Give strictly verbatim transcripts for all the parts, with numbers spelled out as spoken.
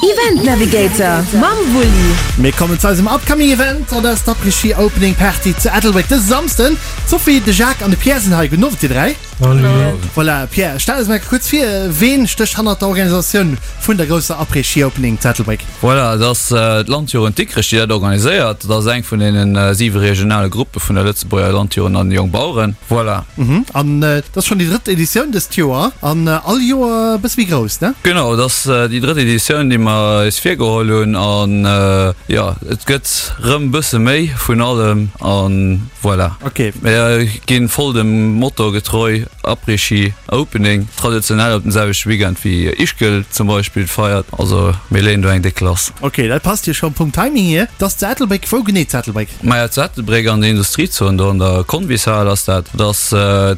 Event Navigator mam Wulli. Mir kommen zu eisem upcoming Event, an dat ass d'Après-Ski Opening Party zu Ettelbréck dëse Samsden. D'Sophie, de Jacques an de Pierre sinn hei. Gudden Owend dir dräi. Voilà, Pierre, stell eis mol kuerz vir, ween stécht hannert der Organisatioun vun der grousser Après-Ski Opening zu Ettelbréck? Voilà, et ass d'Landjugend Dikrech, déi dat organiséiert. Dat ass eng vun deenen siwe regionale Gruppe vun der Lëtzebuerger Landjugend an Jongbaueren. Voilà. An et ass schonn déi drëtt Editioun dëst Joer an all Joer e bësse méi grouss, ne? Genau, et ass déi drëtt Editioun, déi mer eis virgeholl hunn. An jo, et gëtt rëm bësse méi vun allem an voilà. Ok. Mir ginn voll dem Motto getreu, Après-Ski Opening, traditionell op den selwechte Weekend wéi Ischgl zum Beispill feiert. Also mir leeën do eng déck lass. Ok, dat passt jo scho vum Timing hier. Et ass zu Ettelbréck. Wou genee zu Ettelbréck? Maja, zu Ettelbréck an der Industriezon, do an der Convishal ass dat. Dat ass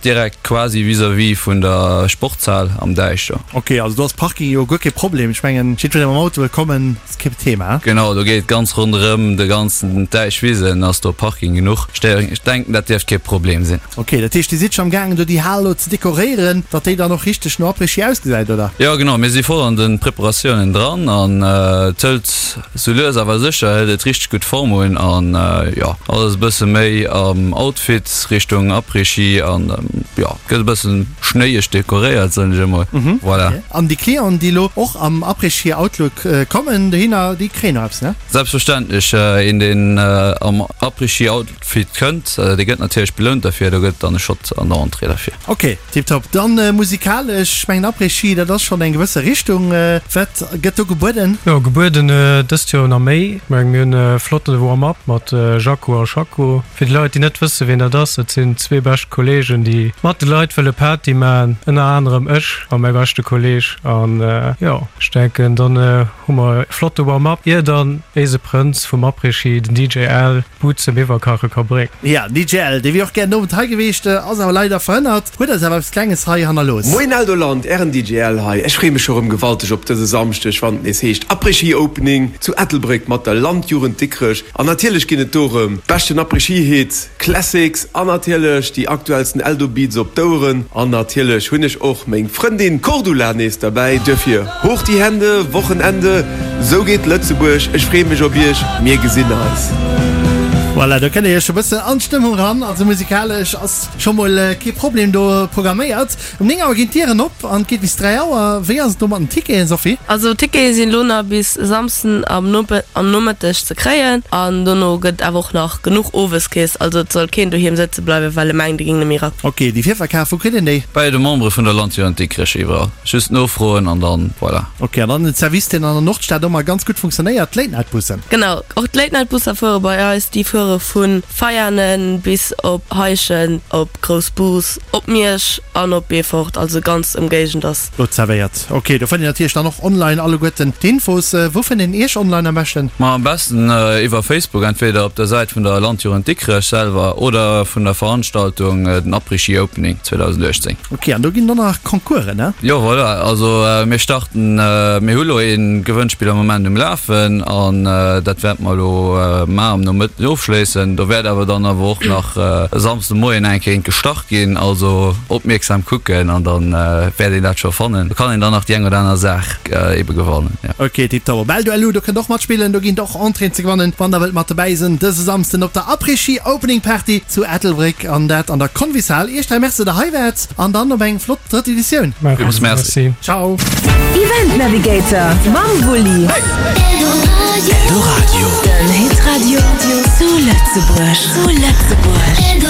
direkt quasi vis-à-vis vun der Sportshal am Däich do. Ok, also do ass Parking jo guer kee Problem. Ech mengen, jiddweree mam Auto wëll kommen, ass kee Thema. Genau, do geet ganz ronderëm de ganzen Däichwisen ass do Parking genuch. Ech denken, dat dierft kee Problem sinn. Ok, dat heescht, Dir sidd scho am gaangen do déi Hal elo ze dekoréieren, datt déi dann och richteg no Après-Ski ausgesäit, oder? Jo genau, mir si voll an de Preparatiounen dran an et hëlt sou lues awer sécher hëlt et richteg gutt Form un an jo, alles e bësse méi am Outfit Richtung Après-Ski an jo, gëtt e bëssen schnéieg dekoréiert soen ech emol. Voilà. An déi Clienten, déi elo och am Après-Ski Outlook kommen dohinner, déi kréien och eppes, ne? Selbstverständlech, een deen am Après-Ski Outfit kënnt, dee gëtt natierlech belount derfir, do gëtt dann e Shot an der Entrée derfir. Ok, tiptop. Dann musikalesch, ech mengen Après-Ski, dat ass schonn eng gewësse Richtung. Wat gëtt do gebueden? Jo, gebueden dëst Joer nach méi. Ech mengen, mir hunn e flotte Warm-up mat Jacko a Schacko. Fir déi Leit, déi net wësse wien dat ass, dat sinn zwee bescht Kolleegen, déi mat de Leit wëlle Party maachen, ënner anerem ech a mäi beschte Kolleeg. An jo, ech denken, dann hu mer e flotte Warm-up, ier dann éise Prënz vum Après-Ski, den D J Al, d'Bud zum Iwwerkache ka bréngen. Ja, den D J Al, dee wier och gär den Owend hei gewiescht, ass awer leider verhënnert, huet eis awer eppes Klenges hei hannerlooss. Moien Eldoland, ären D J Al hei. Ech freeë mech scho rëm gewalteg op dëse Samschdeg, wann et nees heescht Après-Ski Opening zu Ettelbréck mat der Landjugend Dikrech. An natierlech ginn et do rëm beschten Après-Ski Hits, Classics an natierlech déi aktuellsten Eldo Beats op d'Oueren. An natierlech hunn ech och meng Frëndin Cordula nees derbäi. Duerfir hoch die Hände, Wochenende, sou geet Lëtzebuerg. Ech freeë mech op iech, mir gesinn eis. Voilà, do kënnt dir iech e bëssen an d'Stëmmung ran. Also musikalesch ass scho mol kee Problem do programméiert. Um néng Auer ginn d'Dieren op an et geet bis dräi Auer. Wéi ass et do mat den Ticketen, Sophie? Also d'Tickete sinn elo nach bis Samsden am Nomëtteg ze kréien an dono gëtt awer och nach genuch owes kees. Also et soll keen doheem sëtze bleiwen, well e mengt e géing net méi era. Ok, déi Virverkaf, wou kritt een déi? Bei de Membere vun der Landjugend Dikrech iwwerall. Just nofroen an dann voilà. Ok, an dann den Service deen an der Nordstad ëmmer ganz gutt funktionéiert, d'Late Night Bussen. Genau, och d'Late Night Busser fuere bei eis. Déi fuere vu Veianen bis op Heischent, op Groussbus, op Miersch an op Beefort, also ganz Ëmgéigend ass. Do zerwéiert. Ok, do fënnt een natierlech dann och online alleguerten d'Infos. Wou fënnt een Iech online am beschten? Ma am besten iwwer Facebook, entweder op der Säit vun der Landjugend Dikrech selwer oder vun der Veranstaltung den Après-Ski Opening zweedausendachtzéng. Ok, an do ginn et och nach Concoursen, ne? Jo, voilà, also mir starten, mir hu lo ee Gewënnspill am Moment um Lafen an dat wäerte mer elo mar am Nomëtten ofschléissen. Do wäert awer dann awer och nach e Samsde Moien eng Kéier eent gestart ginn, also opmierksam kucken an dann wäert een dat scho fannen. Do kann een dann nach déi eng oder aner Saach ebe gewannen, jo. Ok, tiptop. Op Eldo L U, do kënnt och matspillen, do ginn et och Entréeën ze gewannen, wann der wëllt mat dobäi sinn dëse Samsden op der Après-Ski Opening Party zu Ettelbréck an dat an der Convishal. Iech dräi Merci, datt der hei waart an dann op eng flott drëtt Editioun. Villmools Merci. Ciao. Event Navigator mam Wulli. Eldoradio. Den Hitradio zu Lëtzebuerg. Zu Lëtzebuerg.